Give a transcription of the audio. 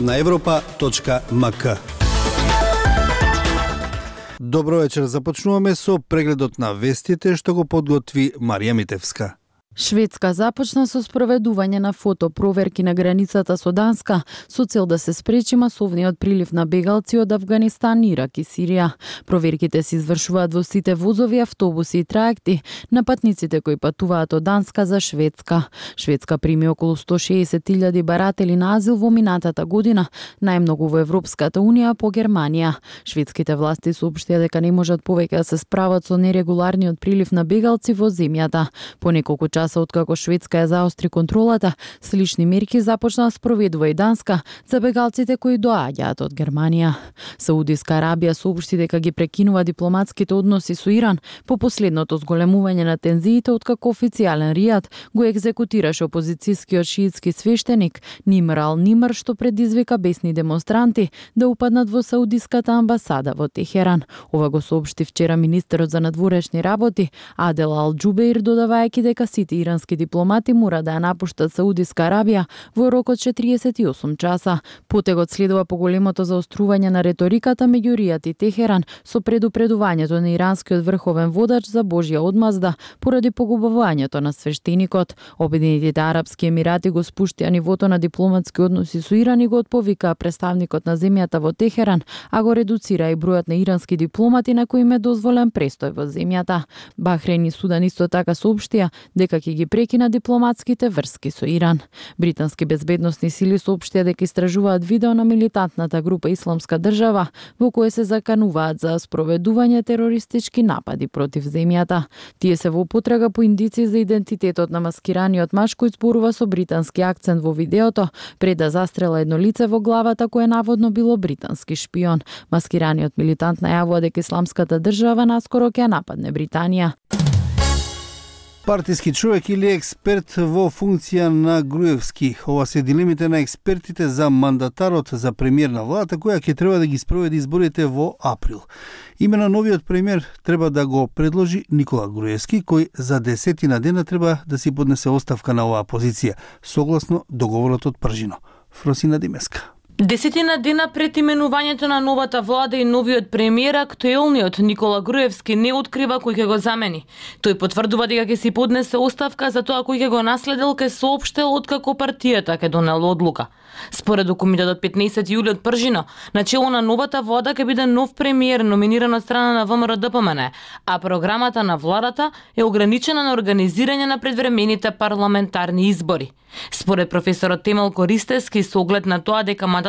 на европа.мк. Добро вечер, започнуваме со прегледот на вестите што го подготви Марија Митевска. Шведска започна со спроведување на фотопроверки на границата со Данска со цел да се спречи масовниот прилив на бегалци од Авганистан, Ирак и Сирија. Проверките се извршуваат во сите возови, автобуси и траекти на патниците кои патуваат од Данска за Шведска. Шведска прими околу 160.000 баратели на азил во минатата година, најмногу во Европската унија по Германија. Шведските власти соопштија дека не можат повеќе да се справат со нерегуларниот прилив на бегалци во земјата. По неколку часа откако Шведска ја заостри контролата, слични мерки започна да спроведува и Данска за бегалците кои доаѓаат од Германија. Саудиска Арабија соопшти дека ги прекинува дипломатските односи со Иран по последното зголемување на тензиите откако официјален Ријад го екзекутираше опозицијскиот шиитски свештеник Нимр ал-Нимр, што предизвика бесни демонстранти да упаднат во Саудиската амбасада во Техеран. Ова го соопшти вчера министерот за надворешни работи Адел ал-Џубеир, додавајќи дека сите ирански дипломати мора да ја напуштат Саудиска Арабија во рок од 48 часа. Потегот следува поголемото заострување на реториката меѓу Ријад и Техеран со предупредувањето на иранскиот врховен водач за Божја одмазда поради погубувањето на свештеникот. Обединетите арапски емирати го спуштија нивото на дипломатски односи со Иран и го отповика представникот на земјата во Техеран, а го редуцира и бројот на ирански дипломати на кои им е дозволен престој во земјата. Бахрейн и Судан исто така соопштија дека ќе ги прекина дипломатските врски со Иран. Британски безбедносни сили соопштија дека истражуваат видео на милитантната група Исламска држава во кое се закануваат за спроведување терористички напади против земјата. Тие се во потрага по индици за идентитетот на маскираниот маж кој зборува со британски акцент во видеото пред да застрела едно лице во главата кое наводно било британски шпион. Маскираниот милитант најавува дека Исламската држава наскоро ќе нападне Британија. Партиски човек или експерт во функција на Груевски. Ова се дилемите на експертите за мандатарот за премиер на владата која ќе треба да ги спроведи изборите во април. Име на новиот премиер треба да го предложи Никола Груевски, кој за 10 дена треба да си поднесе оставка на оваа позиција, согласно договорот од Пржино. Фросина Димеска. 10 дена пред именувањето на новата влада и новиот премиер, актуелниот Никола Груевски не открива кој ќе го замени. Тој потврдува дека ќе си поднесе оставка за тоа кој ќе го наследил, ќе соопштил откако партијата ќе донела одлука. Според документот од 15 јули од Пржино, начело на новата влада ќе биде нов премиер номиниран од страна на ВМРО-ДПМН, а програмата на владата е ограничена на организирање на предвремените парламентарни избори. Според професорот Темел Користевски, со оглед на тоа дека мандатот